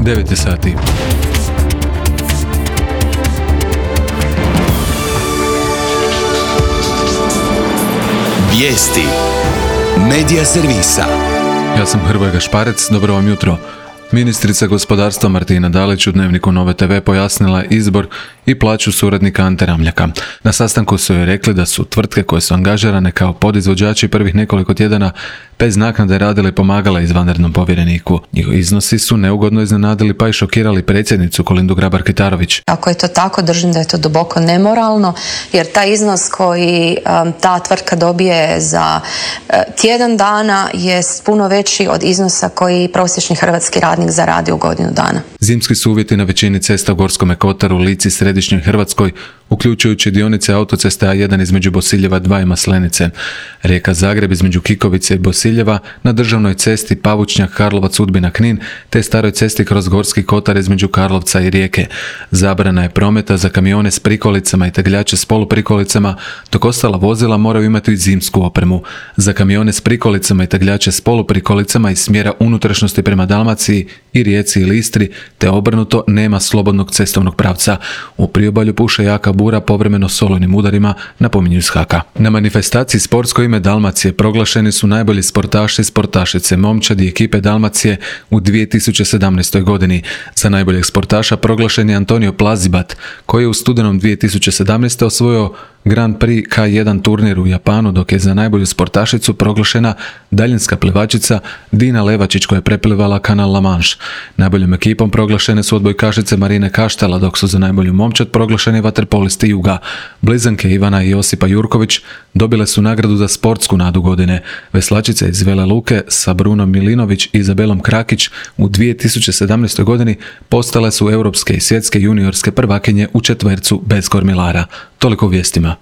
9 je sati. Vijesti Medija servisa. Ja sam Hrvoje Gašparec, dobro vam jutro. Ministrica gospodarstva Martina Dalić u Dnevniku Nove TV pojasnila je izbor i plaću suradnika Ante Ramljaka. Na sastanku su joj rekli da su tvrtke koje su angažirane kao podizvođači prvih nekoliko tjedana bez naknade radile i pomagale izvanrednom povjereniku. Njihovi iznosi su neugodno iznenadili pa i šokirali predsjednicu Kolindu Grabar-Kitarović. Ako je to tako, držim da je to duboko nemoralno, jer taj iznos koji ta tvrtka dobije za tjedan dana je puno veći od iznosa koji prosječni hrvatski radnik zaradi u godinu dana. Zimski su uvjeti na većini cesta u Gorskome Kotaru, Lici, Središnjoj Hrvatskoj, uključujući dionice autoceste A1 između Bosiljeva 2 i Maslenice, Rijeka Zagreb između Kikovice i Bosiljeva, na državnoj cesti Pavučnjak, Karlovac, Udbina, Knin, te staroj cesti kroz Gorski Kotar između Karlovca i Rijeke. Zabrana je prometa za kamione s prikolicama i tegljače s poluprikolicama, dok ostala vozila moraju imati i zimsku opremu. Za kamione s prikolicama i tegljače s poluprikolicama iz smjera unutrašnjosti prema Dalmaciji i Rijeci ili Istri, te obrnuto, nema slobodnog cestovnog pravca. U priobalju puše jaka bura povremeno s olujnim udarima, napominju iz HAK-a. Na manifestaciji Sportsko ime Dalmacije proglašeni su najbolji sportaši, sportašice, momčadi ekipe Dalmacije u 2017. godini. Za najboljeg sportaša proglašen je Antonio Plazibat, koji je u studenom 2017. osvojio Grand Prix K1 turnir u Japanu, dok je za najbolju sportašicu proglašena daljinska plivačica Dina Levačić koja je preplivala kanal La Manche. Najboljom ekipom proglašene su odbojkašice Marine Kaštela, dok su za najbolju momčad proglašeni vaterpolisti Juga. Blizanke Ivana i Josipa Jurković dobile su nagradu za sportsku nadu godine. Veslačice iz Vele Luke sa Brunom Milinović i Izabelom Krakić u 2017. godini postale su europske i svjetske juniorske prvakinje u četvercu bez kormilara. Toliko u vijestima.